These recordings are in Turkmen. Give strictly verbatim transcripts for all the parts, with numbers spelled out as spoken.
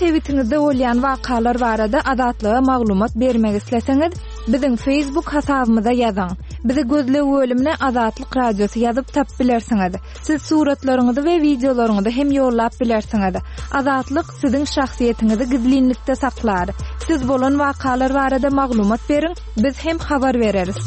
sebitiňizde bolýan wakalar barada Azatlyga maglumat bermek isleseňiz, biziň Facebook hasabymyza ýazyň. Bizi gözleg bölümine Azatlyk Radiosy ýazyp tapyp bilersiňiz. Siz suratlaryňyzy we wideolaryňyzy hem ýollap bilersiňiz. Azatlyk siziň şahsyýetiňizi gizlinlikde saklar. Siz bolan wakalar barada maglumat beriň, biz hem habar bereris.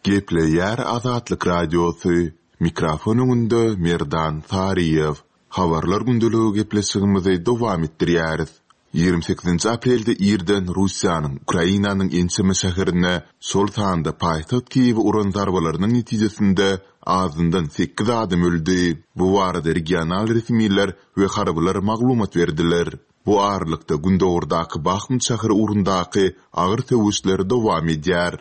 Gepleýär Azatlyk Radiosy. Mikrofon öňünde Merdan Saryýew. Habarlar gündeligi gepleşigimizi dowam etdirýäris. Ýigrimi sekizinji aprelde irden Russiýanyň Ukrainanyň ençeme şäherine, şol sanda paýtagt Kiýewe uran zarbalarynyň netijesinde azyndan sekiz adam öldi. Bu barada regional resmiler we harbylar maglumat berdiler. Bu aralykda gündogardaky Bahmut şäheri ugrundaky agyr söweşler dowam edýär.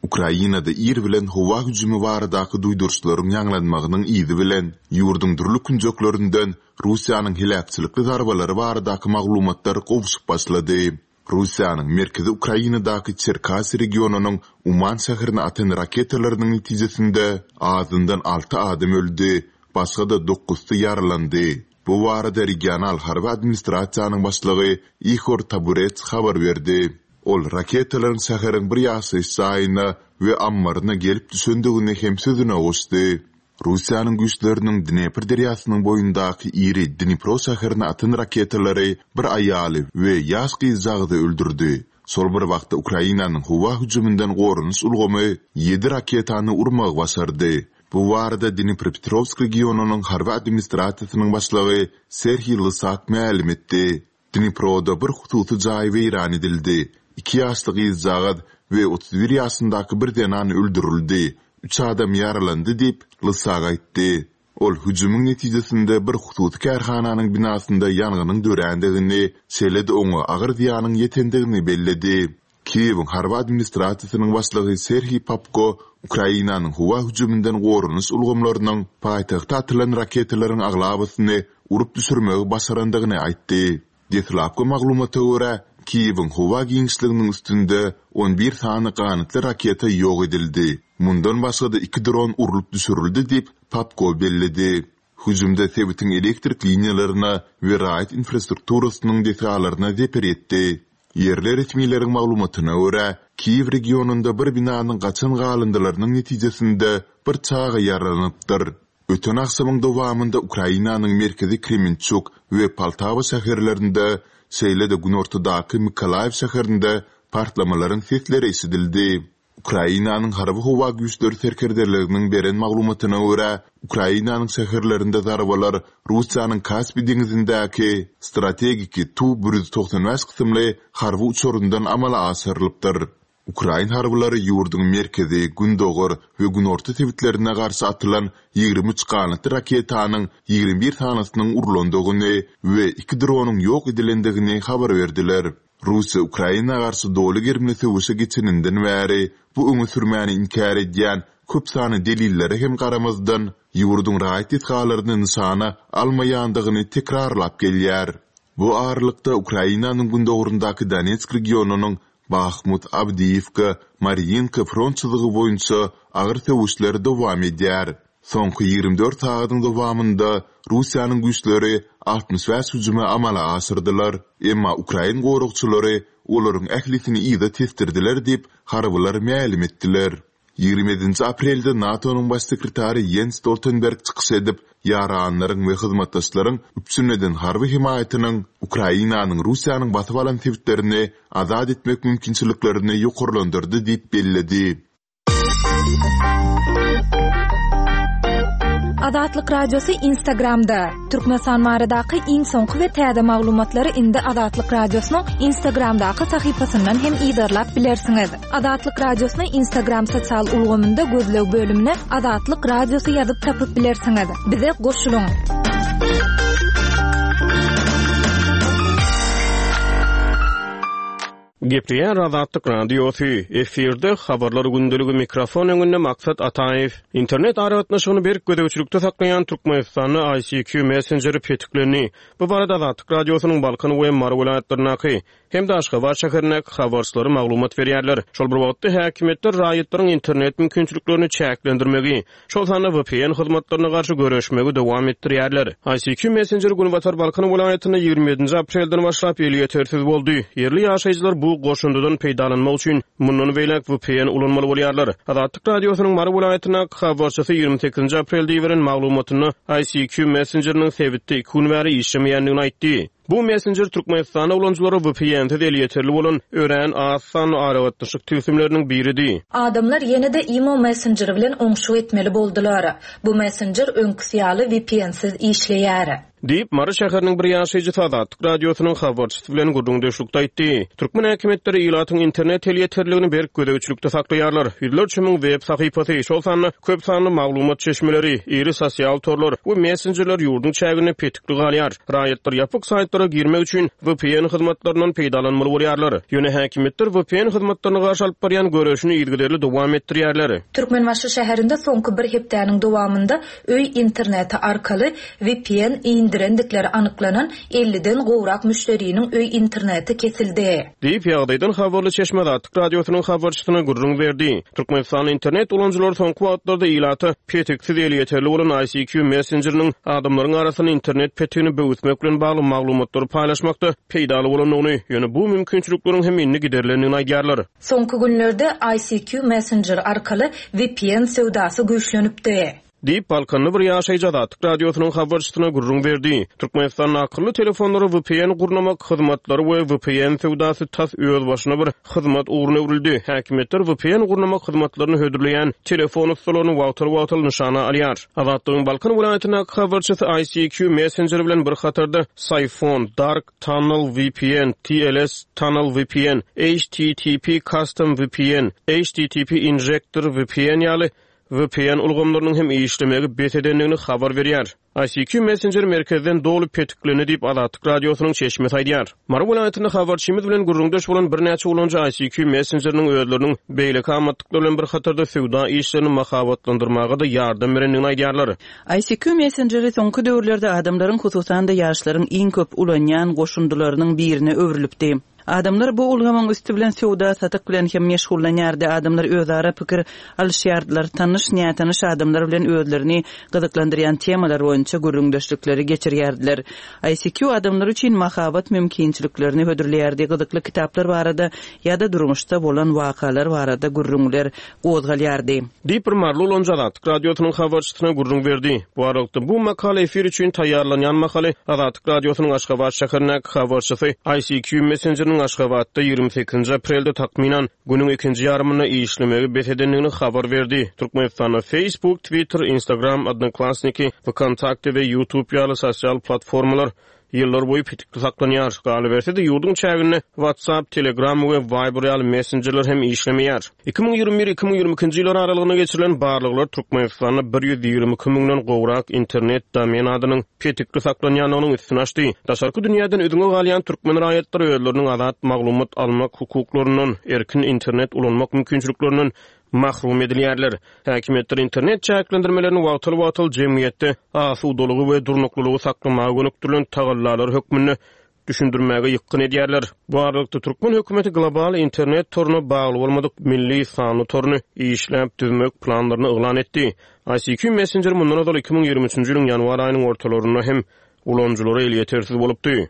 Ukrainada ir bilen howa hüjümi baradaky duýduryşlaryň ýaňlanmagynyň yzy bilen ýurduň dürli künjeklerinden Russiýanyň heläkçilikli zarbalary baradaky maglumatlar gowşup başlady. Russiýanyň merkezi Ukrainadaky Çerkasy regionynyň Uman şäherine atan raketalarynyň netijesinde azyndan alty adam öldi, başga-da dokuzsy ýaralandy. Bu barada regional harby administrasiýanyň başlygy Ihor Taburets habar berdi. Ol raketalaryň şäheriň bir ýaşaýyş jaýyna we ammaryna gelip düşendigini hem sözüne goşdy. Russiýanyň güýçleriniň Dnepr derýasynyň boýundaky iri Dnipro şäherine atan raketalary bir aýaly we ýaş gyzjagazy öldürdi. Şol bir wagtda Ukrainanyň howa hüjüminden goranyş ulgamy ýedi raketany urmagy başardy. Bu barada Dnipropetrovsk regionynyň harby administrasiýasynyň başlygy Serhiý Lysak mälim etdi. Dniproda bir hususy jaý weýran edildi. Iki ýaşly gyzjagaz we otuz bir ýaşyndaky bir zenan öldürildi. Üç adam ýaralandy diýip, Lysak aýtdy. Ol hüjümiň netijesinde bir hususy kärhananyň binasynda ýangynyň dörändigini, şeýle-de oňa agyr zyýanyň ýetendigini belledi. Kiýewiň harby administrasiýasynyň başlygy Serhiý Popko Ukrainanyň howa hüjüminden goranyş ulgamlarynyň paýtagta atylan raketalaryň aglabasyny urup düşürmegi başarandygyny aýtdy. Deslapky maglumata görä, Kiýewiň howa giňişliginiň üstünde on bir sany ganatly raketa ýok edildi. Mundan başga-da iki dron urlup düşürildi diýip, Popko belledi. Hüjümde sebitiň elektrik liniýalaryna we raýat infrastrukturasynyň desgalaryna zeper ýetdi. Ýerli resmileriň maglumatyna görä, Kiýew regionynda bir binanyň gaçan galyndylarynyň netijesinde bir çaga ýaralanypdyr. Öten agşamyň dowamynda Ukrainanyň merkezi Kremençuk we Poltawa şäherlerinde, şeýle-de günortadaky Mykolaýew şäherinde partlamalaryň sesleri eşidildi. Ukrainanyň harby howa güýçleri serkerdeliginiň beren maglumatyna görä, Ukrainanyň şäherlerinde zarbalar Russiýanyň Kaspi deňzindäki strategiki Tu bir ýüz togsan bäş kysymly harby uçaryndan amala aşyrylypdyr. Ukrain harbylary ýurduň merkezi, gündogar we günorta sebitlerine garşy atylan ýigrimi üç ganatly raketanyň ýigrimi bir sanysynyň urlandygyny we iki dronyň ýok edilendigini habar berdiler. Russiýa Ukraina garşy doly gerimli söweşe geçeninden bäri bu öňe sürmäni inkär edýän köp sanly delillere hem garamazdan, ýurduň raýat desgalaryny nyşana almaýandygyny tekrarlap gelýär. Bu aralykda Ukrainanyň gündogaryndaky Donetsk regionynyň Bahmut, Awdiýewka, Marýinka front çyzygy boýunça agyr söweşler dowam edýär. Soňky ýigrimi dört sagadyň dowamynda Russiýanyň güýçleri altmyş bäş hüjümi amala aşyrdylar, emma ukrain goragçylary olaryň ählisini yza tesdirdiler diýip, harbylar mälim etdiler. Ýigrimi ýedinji aprelde NATO-nyň baş sekretary Ýens Stoltenberg çykyş edip, ýaranlaryň we hyzmatdaşlaryň üpjün eden harby hemaýatynyň Ukrainanyň Russiýanyň basyp alan sebitlerini azat etmek mümkinçiliklerini ýokarlandyrdy diýip belledi. Azatlyk Radiosy Instagramda. Türkmenistan baradaky iň soňky we täze maglumatlary indi Azatlyk Radiosynyň Instagramdaky sahypasyndan hem yzarlap bilersiňiz. Azatlyk Radiosyny Instagram sosial ulgamynda gözleg bölümine Azatlyk Radiosy ýazyp tapyp bilersiňiz. Bize goşulyň. Gepleýär Azatlyk Radiosy, efirde Habarlar gündeligi mikrofon öňünde Maksat Ataýew. Internet aragatnaşygyny berk gözegçilikde saklaýan Türkmenistanda I C Q messengeri petiklendi. Bu barada Azatlyk Radiosynyň Balkan we Mary welaýatlaryndaky hem-de Aşgabat şäherindäki habarçylary maglumat berýärler. Şol bir wagtda häkimiýetler raýatlaryň internet mümkinçiliklerini çäklendirmegi, şol sanda V P N hyzmatlaryna garşy göreşmegi dowam etdirýärler. I C Q Messenger Günbatar Balkan welaýatynda ýigrimi ýedinji aprelden başlap elýetersiz boldy. Ýerli ýaşaýjylar bu goşundydan peýdalanmak üçin mundan beýläk V P N ulanmaly bolýarlar. Azatlyk Radiosynyň Mary welaýatyndaky habarçysy ýigrimi sekizinji aprelde iberen maglumatynda I C Q Messengeriniň sebitde iki gün bäri işlemeýändigini aýtdy. Bu messenger Türkmenistanda ulanyjylara V P N-siz elýeterli bolan örän az sanly aragatnaşyk tilsimleriniň biridi. Adamlar ýene-de Imo Messenger bilen oňşuk etmeli boldular. Bu messenger öňküsi ýaly V P N-siz işleýär. Diýip, Mary şäheriniň bir ýaşaýjysy Azatlyk Radiosynyň habarçysy bilen gürrüňdeşlikde aýtdy. Türkmen häkimiýetleri ilatyň internet elýeterligini berk gözegçilikde saklaýarlar. Ýüzlerçe müň web sahypasy, şol sanda köp sanly maglumat çeşmeleri, iri sosial torlar we messenjerler ýurduň çäginde petikli galýar. Raýatlar ýapyk saýtlara girmek üçin V P N hyzmatlaryndan peýdalanmaly bolýarlar. Ýöne häkimiýetler V P N hyzmatlaryna garşy alyp barýan göreşini yzygiderli dowam etdirýärler. Türkmenbaşy şäherinde soňky bir hepdäniň dowamynda öý interneti arkaly V P N indirendikleri anyklanan elliden gowrak müşderiniň öý interneti kesildi. Diýip, ýagdaýdan habarly çeşme Azatlyk Radiosynyň habarçysyna gürrüň berdi. Türkmenistan internet ulanyjylary soňky wagtlarda ilata petiksiz elýeterli bolan I C Q messengeriniň adamlaryň arasynda internet petigini böwüsmek bilen bagly maglumatlary paýlaşmakda peýdaly bolandygyny, ýöne bu mümkinçilikleriň hem indi giderilendigini aýdýarlar. Soňky günlerde I C Q Messenger arkaly V P N söwdasy güýçlenipdi. Diýip, Balkanly bir ýaşaýjy Azatlyk Radiosynyň habarçysyna gürrüň berdi. Türkmenistanda akylly telefonlara V P N gurnamak hyzmatlary we V P N söwdasy tas öz başyna bir hyzmat ugruna öwrüldi. Häkimiýetler V P N gurnamak hyzmatlaryny hödürleýän telefon ustalaryny wagtal-wagtal nyşana alýar. Azatlygyň Balkan welaýatyndaky habarçysy I C Q Messenger bilen bir hatarda Psiphon, Dark Tunnel V P N, T L S Tunnel V P N, H T T P Custom V P N, H T T P Injector V P N ýaly V P N ulgamlarynyň hem işlemegi bes edendigini habar berýär. I C Q Messenger merkezden doly petiklendi diýip Azatlyk Radiosynyň çeşmesi aýdýar. Mary welaýatynda habarçymyz bilen gürrüňdeş bolan birnäçe ulanyjy I C Q Messengeriniň özleriniň beýleki amatlyklary bilen bir hatarda söwda işlerini mahabatlandyrmaga-da ýardam berendigini aýdýarlar. I C Q Messengeri soňky döwürlerde adamlaryň, hususan-da ýaşlaryň iň köp ulanýan goşundylarynyň birine öwrülipdi. Adamlar bu ulgamyň üsti bilen söwda satyk bilen hem meşgullanýardy. Adamlar özara pikir alyşýardylar. Tanyş, nätanyş adamlar bilen özlerini gyzyklandyrýan temalar boýunça gürrüňdeşlikleri geçirýärdiler. I C Q adamlar üçin mahabat mümkinçiliklerini hödürleýärdi. Gyzykly kitaplar barada ýa-da durmuşda bolan wakalar barada gürrüňler gozgalýardy. Diýip bir maryly ulanyjy Azatlyk Radiosynyň habarçysyna gürrüň berdi. Bu aralykda bu makala efir üçin taýýarlanýan mahaly Azatlyk Radiosynyň Aşgabat şäherindäki habarçysy I C Q Messengeriniň Aşgabatda ýigrimi sekizinji aprelde takmynan günüň ikinji ýarymynda işlemegi bes edendigini habar berdi. Türkmenistanda Facebook, Twitter, Instagram, Odnoklassniki, VKontakte we YouTube ýaly sosial platformalar ýyllar boýy petikli saklanýar. Galyberse-de ýurduň çäginde WhatsApp, Telegram we Viber ýaly messenjerler hem işlemeýär. Iki müň ýigrimi bir, iki müň ýigrimi ikinji ýyllar aralygynda geçirilen barlaglar Türkmenistanda bir ýüz ýigrimi iki müňden gowrak internet domen adynyň petikli saklanýandygynyň üstüni açdy. Daşarky dünýäden üzňe galýan türkmen raýatlary özleriniň azat maglumat almak hukuklaryndan, erkin internet ulanmak mümkinçiliklerinden mahrum edilýärler. Häkimiýetler internet çäklendirmelerini wagtal-wagtal jemgyýetde asudalygy we durnuklylygy saklamaga gönükdirilen tagallalar hökmünde düşündirmäge ýykgyn edýärler. Bu aralykda türkmen hökümeti global internet toruna bagly bolmadyk milli sanly toruny işläp düzmek planlaryny yglan etdi. I C Q Messenger mundan ozal iki müň ýigrimi üçünji ýylyň ýanwar aýynyň ortalarynda hem ulanyjylara elýetersiz bolupdy.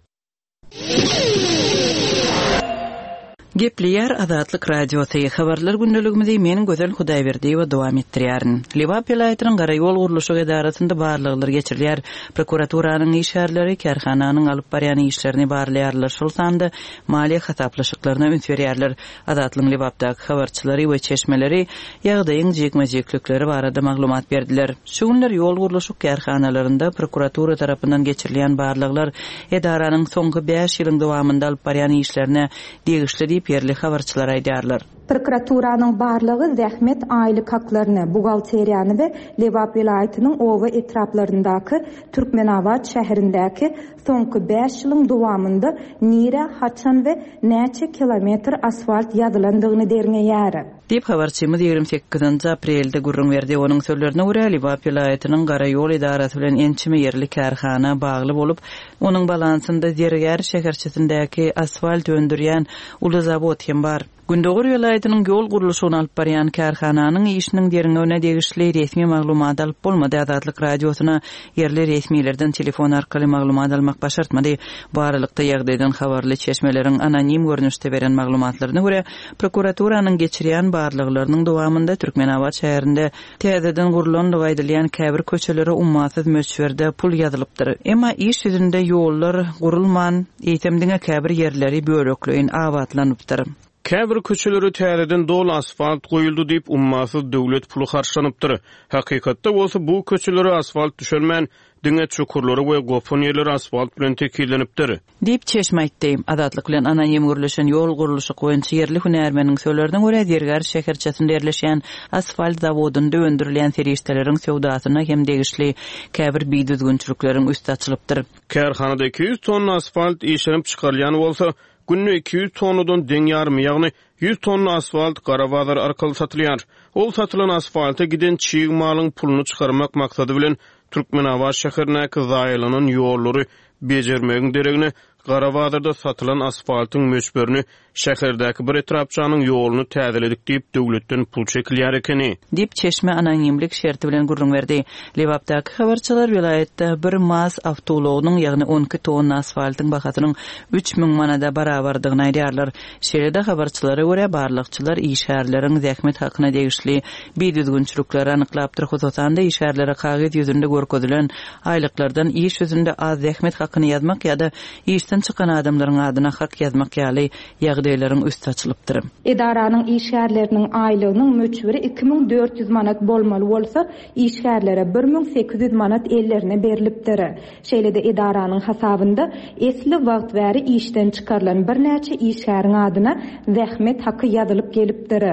Gepleýär Azatlyk Radiosy. Habarlar gündeligimizi men Gözel Hudaýberdiýewa dowam etdirýärin. Lebap welaýatynyň Garaýol gurluşyk edarasynda barlaglar geçirilýär. Prokuraturanyň işgärleri kärhananyň alyp barýan işlerini barlaýarlar. Şol sanda maliýe hasaplaşyklaryna üns berýärler. Azatlygyň Lebapdaky habarçylary we çeşmeleri ýagdaýyň jikme-jiklikleri barada maglumat berdiler. Şu günler ýol gurluşyk kärhanalarynda prokuratura tarapyndan geçirilýän barlaglar edaranyň soňky bäş ýylyň dowamynda alyp barýan işlerine degişli diýip ýerli habarçylar aýdýarlar. Prokuraturanyň barlagy zähmet aýlyk haklaryny, buhgalteriýany we Lebap welaýatynyň oba etraplaryndaky Türkmenabat şäherindäki soňky bäş ýylyň dowamynda nirä, haçan we näçe kilometr asfalt ýazylandygyny derňeýär. Diýip, habarçymyz ýigrimi sekizinji aprelde gürrüň berdi. Onuň sözlerine görä, Lebap welaýatynyň Garaýol edarasy bilen ençeme ýerli kärhana bagly bolup, onuň balansynda Zergär şäherçesindäki asfalt öndürýän uly zawod hem bar. Gündogar welaýatynyň ýol gurluşygyny alyp barýan kärhananyň işiniň derňewine degişli resmi maglumat alyp bolmady. Azatlyk Radiosyna ýerli resmilerden telefon arkaly maglumat almak başartmady. Bu aralykda ýagdaýdan habarly çeşmeleriň anonim görnüşde beren maglumatlaryna görä, prokuraturanyň geçirýän barlaglarynyň dowamynda Türkmenabat şäherinde täzeden gurlandygy aýdylýan käbir köçelere ummasyz möçberde pul ýazylypdyr. Emma iş ýüzünde ýollar gurulman, eýsem diňe käbir ýerleri bölekleýin abatlanypdyr. Käbir köçeleri täzeden doly asfalt goýuldy diýip ummasyz döwlet puly harçlanypdyr. Hakykatda bolsa bu köçelere asfalt düşelmän, diňe çukurlary we gopan ýerleri asfalt bilen tekizlenipdir. Diýip çeşme aýtdy. Azatlyk bilen anonim gürleşen ýol gurluşyk boýunça ýerli hünärmeniň sözlerine görä, Zergär şäherçesinde ýerleşýän asfalt zawodynda öndürilýän serişdeleriň söwdasyna hem degişli käbir bidüzgünçilikleriň üsti açylypdyr. Kärhanada iki ýüz tonna asfalt işlenip çykarylýan bolsa, günde iki ýüz tonnadan deň ýarymy, ýagny ýüz tonna asfalt gara bazar arkaly satylýar. Ol satylan asfalta giden çig malyň puluny çykarmak maksady bilen Türkmenabat şäherindäki zaýalanan ýollary bejermegiň deregine gara bazarda satylan asfaltyň möçberini şäherdäki bir etrapçanyň ýoluny täzeledik diýip döwletden pul çekilýär ekeni. Diýip çeşme anonimlik şerti bilen gürrüň berdi. Lebapdaky habarçylar welaýatda bir MAZ awtoulagynyň, ýagny on iki tonna asfaltyň bahasynyň üç müň manada barabardygyny aýdýarlar. Şeýle-de habarçylara görä barlagçylar işgärleriň zähmet hakyna degişli bidüzgünçilikleri anyklapdyr. Hususan-da işgärlere kagyz ýüzünde görkezilen aýlyklardan iş ýüzünde az zähmet hakyny ýazmak ýa-da işden çykan adamlaryň adyna hak ýazmak ýaly ýagdaýlaryň üsti açylypdyr. Edaranyň işgärleriniň aýlygynyň möçberi iki müň dört ýüz manat bolmaly bolsa, işgärlere bir müň sekiz ýüz manat ellerine berilipdir. Şeýle-de edaranyň hasabynda esli wagt bäri işden çykarylan birnäçe işgäriň adyna zähmet haky ýazylyp gelipdir.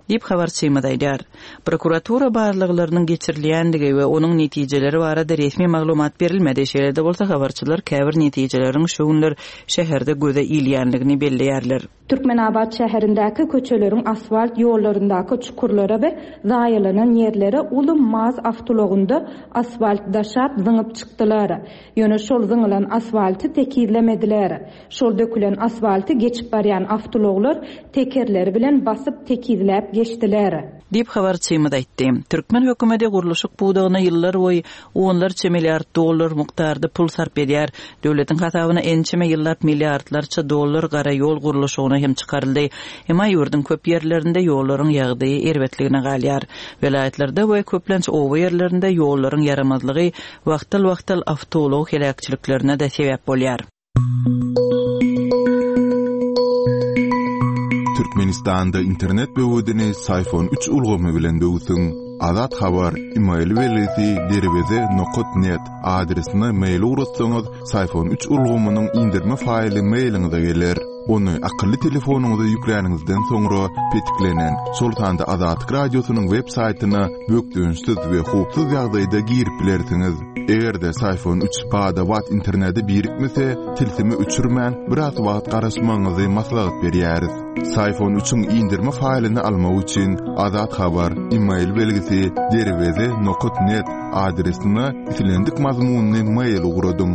Diýip habarçymyz aýdar. Prokuratura barlaglarynyň geçirilýändigi we onuň netijeleri barada resmi maglumat berilmedi. Şeýle-de bolsa habarçylar käbir netijeleriň şu günler şäherde göze ilýänligini belleýärler. Türkmenabat şäherindäki köçeleriň asfalt ýollaryndaky çukurlara we zaýalanan ýerlere uly MAZ awtoulagynda asfalt daşap zyňyp çykdylar. Ýöne şol zyňylan asfalty tekizlemediler. Şol dökülen asfalty geçip barýan awtoulaglar tekerleri bilen basyp tekizläp geçdiler. Diýip habarçymyz aýtdy. Türkmen hökümeti gurluşyk pudagyna ýyllar boýy onlarça milliard dollar mukdarda pul sarp edýär. Döwletiň hasabyna ençeme ýyllap milliardlarça dollar gara ýol gurluşygyna hem çykaryldy. Emma ýurduň köp ýerlerinde ýollaryň ýagdaýy erbetligine galýar. Welaýatlarda we köplenç oba ýerlerinde ýollaryň ýaramazlygy wagtal-wagtal awtoulag heläkçiliklerine de sebäp bolýar. Türkmenistanda internet böwedini Syfon üç ulgamy bilen böwsüň. Azat Habar, e-mail belgisi derweze nokta net adresine mail ugratsaňyz, Syfon üç ulgamynyň indirme faýly mailiňize geler. Ony akylly telefonyňyza ýükläniňizden soňra petiklenen, şol sanda Azatlyk Radiosynyň web saýtyna bökdençsiz we howpsuz ýagdaýda girip bilersiňiz. Eger-de Syfon üç bada-bat internete birikmese, tilsimi öçürmän biraz wagt garaşmagyňyzy maslahat berýäris. Syfon üçiň indirme faýlyny almak üçin Azat Habar, e-mail belgisi derweze nokta net adresine islendik mazmunyny mail ugradyň.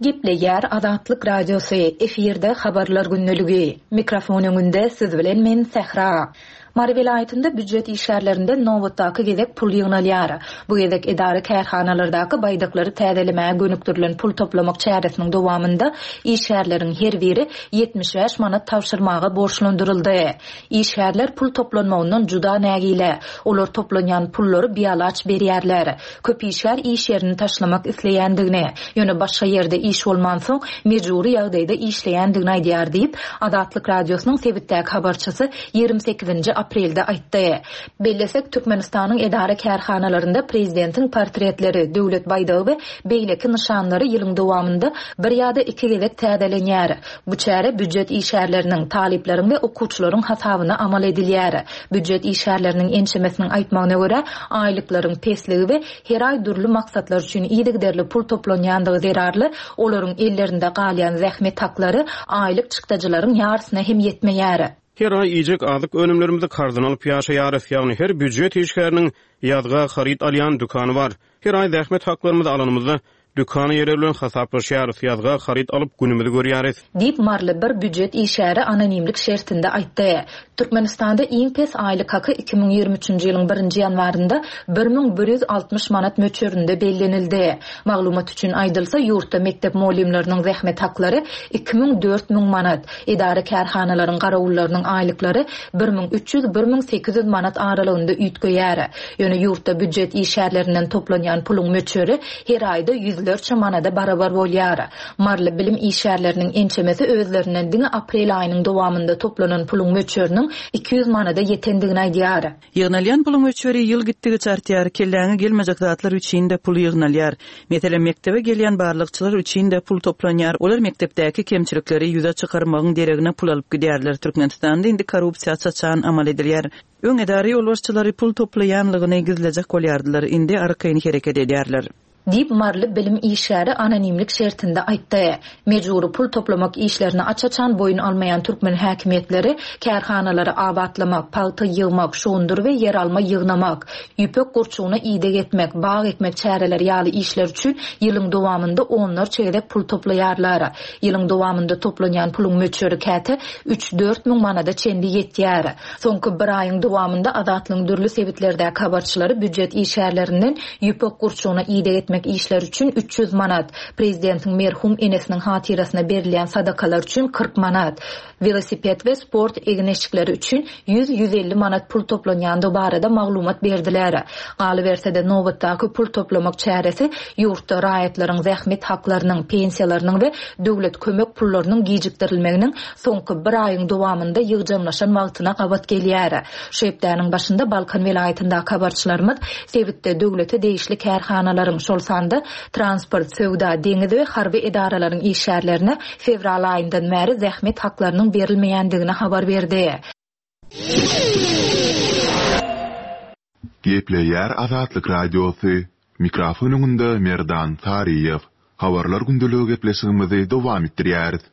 Gepleýär Azatlyk Radiosy, efirde habarlar gündeligi. Mikrofon öňünde siz bilen men Sähra. Mary welaýatynda býujet işgärlerinden nobatdaky gezek pul ýygnalýar. Bu gezek edara kärhanalardaky baýdaklary täzelemäge gönükdirilen pul toplamak çäresiniň dowamynda işgärleriň her biri ýetmiş bäş manat tabşyrmaga borçlandyryldy. Işgärler pul toplanmagyndan juda nägile. Olar toplanýan pullary bialaç berýärler. Köp işgär iş ýerini taşlamak isleýändigini, ýöne başga ýerde iş bolmansoň mejbury ýagdaýda işleýändigini aýdýar diýip, Azatlyk Radiosynyň sebitdäki habarçysy ýigrimi sekizinji aprelde aýtdy. Bellesek, Türkmenistanyň edara-kärhanalarynda prezidentiň portretleri, döwlet baýdagy we beýleki nyşanlary ýylyň dowamynda bir ýa-da iki gezek täzelenýär. Bu çäre býujet işgärleriniň, talyplaryň we okuwçylaryň hasabyna amal edilýär. Býujet işgärleriniň ençemesiniň aýtmagyna görä, aýlyklaryň pesligi we her aý dürli maksatlar üçin yzygiderli pul toplanýandygy zerarly, olaryň ellerinde galýan zähmet haklary aýlyk çykdajylaryň ýarysyna hem ýetmeýär. Her aý iýjek azyk önümlerimizi karzyna alyp ýaşaýarys, ýagny her býujet işgäriniň ýazga haryt alýan dükany bar. Her aý zähmet haklarymyzy alanymyzda, dükan eýeleri bilen hasaplaşýarys, ýazga haryt alyp günümizi görýäris. Diýip, maryly bir býujet işgäri anonimlik şertinde aýtdy. Türkmenistanda iň pes aýlyk haky iki müň ýigrimi üçünji ýylyň birinji ýanwarynda bir müň bir ýüz altmyş manat möçberinde bellenildi. Maglumat üçin aýdylsa, ýurtda mekdep mugallymlarynyň zähmet haklary iki müň dört müň manat, edara-kärhanalaryň garawullarynyň aýlyklary bir müň üç ýüz bir müň sekiz ýüz manat aralygynda üýtgeýär. Ýöne ýurtda býujet işgärlerinden toplanýan puluň möçberi her aýda ýüzlerçe manada barabar bolýar. Maryly bilim işgärleriniň ençemesi özlerinden diňe aprel aýynyň dowamynda toplanan puluň möçberiniň iki ýüz manada ýetendigini aýdýar. Ýygnalýan puluň möçberi ýyl gitdigiçe artýar, kelläňe gelmejek zatlar üçin-de pul ýygnalýar. Meselem, mekdebe gelýän barlagçylar üçin-de pul toplanýar, olar mekdepdäki kemçilikleri ýüze çykarmagyň deregine pul alyp gidýärler. Türkmenistanda indi korrupsiýa çaçan amal edilýär. Öň edara ýolbaşçylary pul toplaýanlygyny gizlejek bolýardylar, indi arkaýyn hereket edýärler. Diýip, maryly bilim işgäri anonimlik şertinde aýtdy. Mejbury pul toplamak işlerini aç-açan boýun almaýan türkmen häkimiýetleri kärhanalary abatlamak, pagta ýygmak, şugundyr we ýeralma ýygnamak, ýüpek gurçugyna ideg etmek, bag ekmek çäreleri ýaly işler üçin ýylyň dowamynda onlarça gezek pul toplaýarlar. Ýylyň dowamynda toplanýan puluň möçberi käte üç-dört müň manada çenli ýetýär. Soňky bir aýyň dowamynda Azatlygyň dürli sebitlerdäki habarçylary býujet işgärlerinden ýüpek gurçugyna ideg etmek işler üçin üç ýüz manat, prezidentiň merhum enesiniň hatyrasyna berilýän sadakalar üçin kyrk manat, welosiped we sport egin-eşikleri üçin ýüz-ýüz elli manat pul toplanýandygy barada maglumat berdiler. Galyberse-de, nobatdaky pul toplamak çäresi ýurtda raýatlaryň zähmet haklarynyň, pensiýalarynyň we döwlet kömek pullarynyň gijikdirilmeginiň soňky bir aýyň dowamynda ýygjamlaşan wagtyna gabat gelýär. Şu hepdäniň başynda Balkan welaýatyndaky habarçylarymyz sebitde döwlete degişli kärhanalaryň, şol sanda transport, söwda, deňiz we harby edaralaryň işgärlerine fewral aýyndan bäri zähmet haklarynyň berilmeýändigini habar berdi. Gepleýär Azatlyk Radiosy. Mikrofon öňünde Merdan Saryýew. Habarlar gündeligi gepleşigimizi dowam etdirýäris.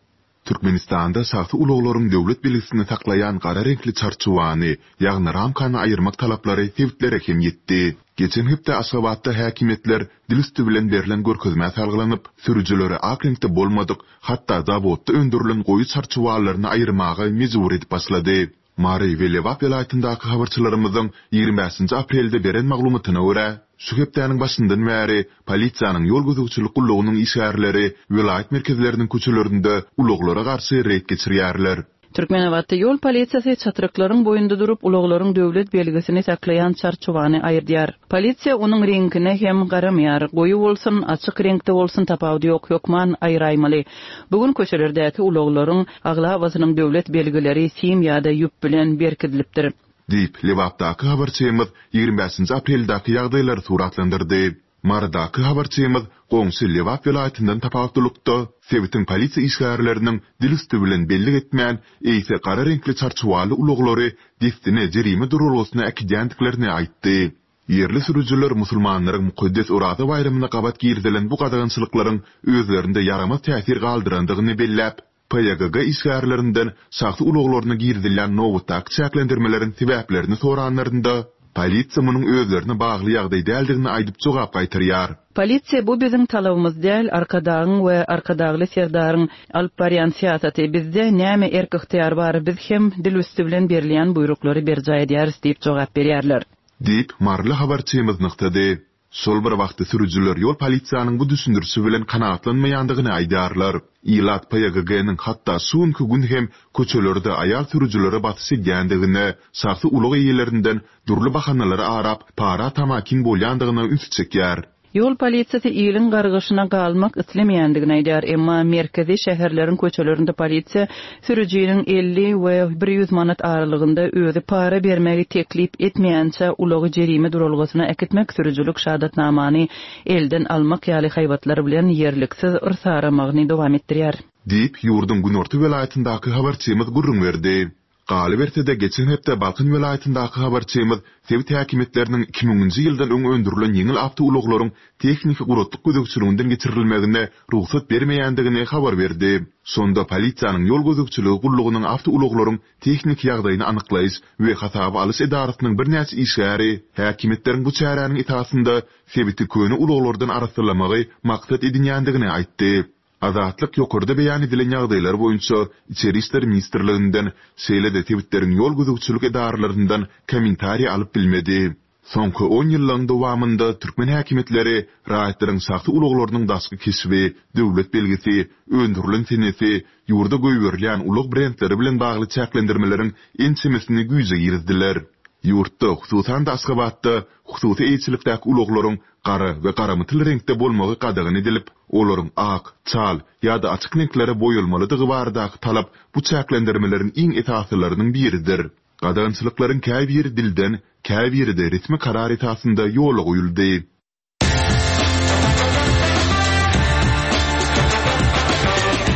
Türkmenistanda şahsy ulaglaryň döwlet belgisini saklaýan gara reňkli çarçuwany, ýagny ramkany aýyrmak talaplary sebitlere hem ýetdi. Geçen hepde Aşgabatda häkimiýetler dil üsti bilen berlen görkezmä salgylanyp, sürüjileri ak reňkde bolmadyk, hatda zawodda öndürilen goýy çarçuwalaryny aýyrmaga mejbur edip başlady. Mary we Lebap welaýatyndaky habarçylarymyzyň ýigrimi bäşinji aprelde beren maglumatyna görä, şu hepdäniň başyndan bäri polisiýanyň ýol gözegçilik gullugynyň işgärleri welaýat merkezleriniň köçelerinde ulaglara garşy reýd geçirýärler. Türkmenabatda ýol polisiýasy çatryklaryň boýunda durup, ulaglaryň döwlet belgisini saklaýan çarçuwany aýyrdýar. Polisiýa onuň reňkine hem garamaýar. Goýy bolsun, açyk reňkde bolsun tapawudy ýok, hökman aýraýmaly. Bu gün köçelerdäki ulaglaryň aglabasynyň döwlet belgileri sim ýa-da ýüp bilen berkidilipdir. Diýip, Lebapdaky habarçymyz ýigrimi bäşinji apreldäki ýagdaýlary suratlandyrdy. Marydaky habarçymyz goňşy Lebap welaýatyndan tapawutlylykda sebitiň polisiýa işgärleriniň dil üsti bilen bellik etmän, eýse gara reňkli çarçuwaly ulaglary dessine jerime duralgasyna äkidýändiklerini aýtdy. Ýerli sürüjiler musulmanlaryň mukaddes Oraza baýramyna gabat girizilen bu gadagançylyklaryň özlerinde ýaramaz täsir galdyrandygyny belläp, P Y G G işgärlerinden şahsy ulaglaryna girizilýän nobatdaky çäklendirmeleriň sebäplerini soranlarynda, polisiýa munuň özlerine bagly ýagdaý däldigini aýdyp jogap gaýtarýar. Polisiýa bu biziň talabymyz däl, Arkadagyň we Arkadagly Serdaryň alyp barýan syýasaty. Bizde näme erk-ygtyýar bar, biz hem dil üsti bilen berilýän buýruklary berjaý edýäris diýip jogap berýärler. Diýip, maryly habarçymyz nygtady. Şol bir wagtda sürüjiler ýol polisiýanyň bu düşündirişi bilen kanagatlanmaýandygyny aýdýarlar. Ilat P Y G G-niň hatda şu günki gün hem köçelerde aýal sürüjilere basyş edýändigine, şahsy ulag eýelerinden dürli bahanalary arap, para tamakin bolýandygyna ünsi çekýär. Ýol polisiýasy iliň gargyşyna galmak islemeýändigini aýdýar, emma merkezi şäherleriň köçelerinde polisiýa sürüjiniň elli we bir ýüz manat aralygynda özi para bermegi teklip etmeýänçä ulagy jerime duralgasyna äkitmek, sürüjilik şahadatnamany elden almak ýaly haýbatlar bilen ýerliksiz yrsaramagyny dowam etdirýär. Diýip, ýurduň günorta welaýatyndaky habarçymyz gürrüň berdi. Galyberse-de, geçen hepde Balkan welaýatyndaky habarçymyz sebit häkimiýetleriniň iki müňünji ýyldan öň öndürilen ýeňil awtoulaglaryň tehniki guratlyk gözegçiliginden geçirilmegine rugsat bermeýändigini habar berdi. Şonda polisiýanyň ýol gözegçiligi gullugynyň awtoulaglaryň tehniki ýagdaýyny anyklaýyş we hasaba alyş edarasynyň birnäçe işgäri häkimiýetleriň bu çäräniň esasynda sebiti köne ulaglardan arassalamagy maksat edinýändigini aýtdy. Azatlyk ýokarda beýan edilen ýagdaýlar boýunça Içeri işler ministrliginden, şeýle-de sebitleriň ýol gözegçilik edaralaryndan kommentariý alyp bilmedi. Soňky on ýyllygyň dowamynda türkmen häkimiýetleri raýatlaryň şahsy ulaglarynyň daşky keşbi, döwlet belgisi, öndürilen senesi, ýurda goýberilýän ulag brendleri bilen bagly çäklendirmeleriň ençemesini güýje girizdiler. Ýurtda, hususan-da Aşgabatda hususy eýeçilikdäki ulaglaryň gara we garamytyl reňkde bolmagy gadagan edilip, olaryň ak, çal ýa-da açyk reňklere boýalmalydygy baradaky talap bu çäklendirmeleriň iň esasylarynyň biridir. Gadagançylyklaryň käbiri dilden, käbiri-de resmi karar esasynda ýola goýuldy.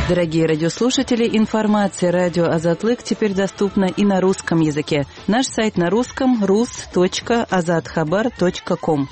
Дорогие радиослушатели, информация радио Азатлык теперь доступна и на русском языке. Наш сайт на русском rus точка azathabar точка ком.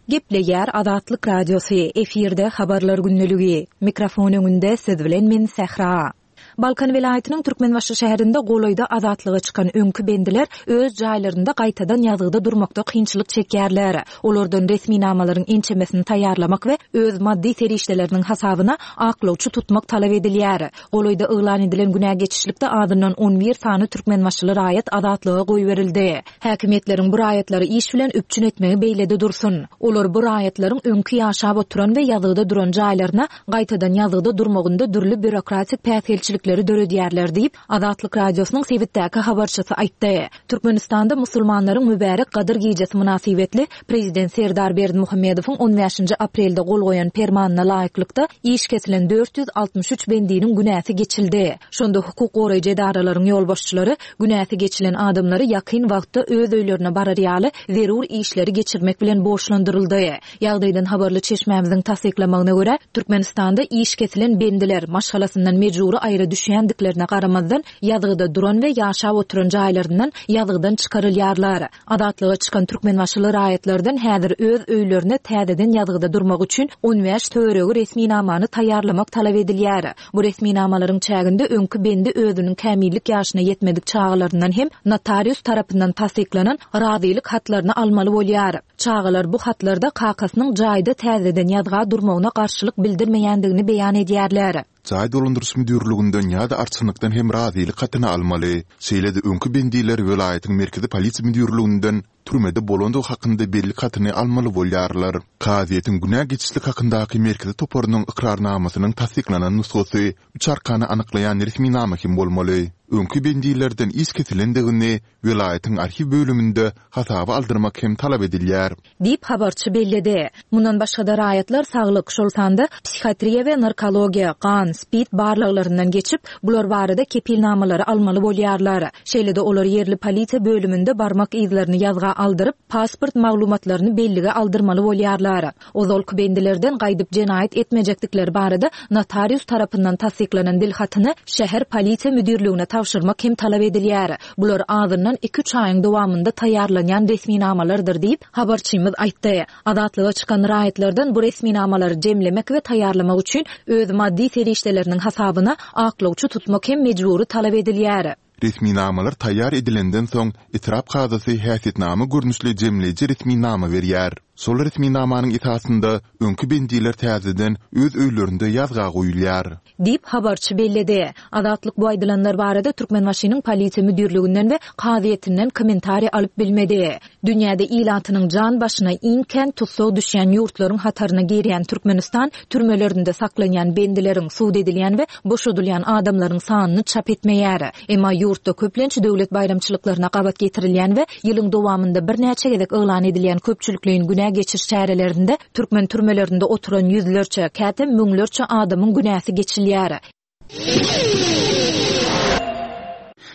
Gepleýär Azatlyk Radiosy, efirde habarlar günlügi. Mikrofon öňünde siz bilen men Sähra. Balkan welaýatynyň Türkmenbaşy şäherinde golaýda azatlyga çykan öňki bendiler öz jaýlarynda gaýtadan ýazgyda durmakda kynçylyk çekýärler. Olardan resminamalaryň ençemesini taýýarlamak we öz maddy serişdeleriniň hasabyna aklawçy tutmak talap edilýär. Golaýda yglan edilen günä geçişlikde azyndan on bir sany Türkmenbaşyly raýat azatlyga goýberildi. Häkimiýetleriň bu raýatlary iş bilen üpjün etmegi beýlede dursun. Olar bu raýatlaryň öňki ýaşap oturan we ýazgyda duran jaýlaryna gaýtadan ýazgyda durmagynda dürli býurokratik päsgelçilikleri döredýärler diýip, Azatlyk Radiosynyň sebitdäki habarçysy aýtdy. Türkmenistanda musulmanlaryň mübärek Gadyr gijesi mynasybetli Prezident Serdar Berdimuhamedowyň on bäşinji aprelde gol goýan permanyna laýyklykda iş kesilen dört ýüz altmyş üç bendiniň günäsi geçildi. Şonda hukuk goraýjy edaralaryň ýolbaşçylary günäsi geçilen adamlary ýakyn wagtda öz öýlerine barar ýaly zerur işleri geçirmek bilen borçlandyryldy. Ýagdaýdan habarly çeşmämiziň tassyklamagyna görä, Türkmenistanda iş kesilen bendiler maşgalasyndan mejbury aýra düşýändiklerine garamazdan ýazgyda duran we ýaşap oturan jaýlaryndan ýazgydan çykarylýarlar. Azatlyga çykan Türkmenbaşyly raýatlardan häzir öz öýlerine täzeden ýazgyda durmak üçin on bäş töweregi resminamany taýýarlamak talap edilýär. Bu resminamalaryň çäginde öňki bendi özüniň kämillik ýaşyna ýetmedik çagalaryndan hem notarius tarapyndan tassyklanan razylyk hatlaryny almaly bolýar. Çagalar bu hatlarda kakasynyň jaýda täzeden ýazga durmagyna garşylyk bildirmeýändigini beýan edýärler. Jaý dolandyryş müdürliginden ýa-da arçynlykdan hem razylyk hatyny almaly. Şeýle-de öňki bendiler welaýatyň merkezi polisiýa müdürliginden türmede bolandygy hakynda bellik hatyny almaly bolýarlar. Kazyýetiň günä geçişlik hakyndaky merkezi toparynyň ykrarnamasynyň tassyklanan nusgasy üç arkany anyklaýan resminama hem bolmaly. Öňki bendilerden iş kesilendigini welaýatyň arhiw bölüminde hasaba aldyrmak hem talap edilýär. Diýip habarçy belledi. Mundan başga-da raýatlar saglyk, şol sanda psihiatriýa we narkologiýa, gan, spid barlaglaryndan geçip, bular barada kepilnamalary almaly bolýarlar. Şeýle-de olar ýerli polisiýa bölüminde barmak yzlaryny ýazga aldyryp, pasport maglumatlaryny bellige aldyrmaly bolýarlar. Ozalky bendilerden gaýdyp jenaýat etmejekdikleri barada notarius tarapyndan tassyklanan dil hatyny şäher polisiýa müdirligine tabşyrmak hem talap edilýär. Bular azyndan iki-üç aýyň dowamynda taýýarlanýan resminamalardyr diýip habarçymyz aýtdy. Azatlyga çykan raýatlardan bu resminamalary jemlemek we taýýarlamak üçin öz maddy serişdeleriniň hasabyna aklawçy tutmak hem mejbury talap edilýär. Resminamalar taýýar edilenden soň etrap kazasy häsiýetnama görnüşli jemleýji resminama berýär. Şol resminamanyň esasynda öňki bendiler täzeden öz öýlerinde ýazga goýulýar. Diýip, habarçy belledi. Azatlyk bu aýdylanlar barada Türkmenbaşynyň Polisiýa müdirliginden we kazyýetinden kommentariý alyp bilmedi. Dünýäde ilatynyň jan başyna iň kän tussag düşýän ýurtlaryň hataryna girýän Türkmenistan türmelerinde saklanýan bendileriň, sud edilýän we boşadylýan adamlaryň sanyny çap etmeýär. Emma ýurtda köplenç döwlet baýramçylyklaryna gabat getirilýän we ýylyň dowamynda birnäçe gezek yglan edilýän köpçülikleýin günä geçiş çärelerinde türkmen türmelerinde oturan ýüzlerçe, käte müňlerçe adamyň günäsi geçilýär.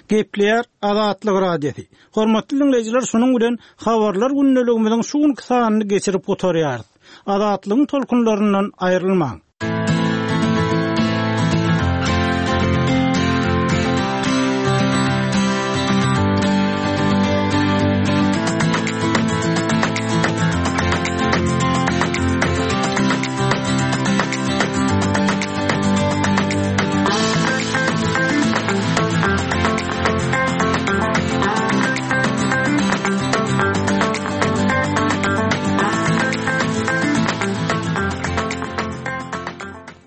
Gepleýär Azatlyk Radiosy. Hormatly diňleýjiler, şunuň bilen habarlar gündeligimiziň şu günki sanyny geçirip gutarýarys. Azatlygyň tolkunlaryndan aýrylmaň.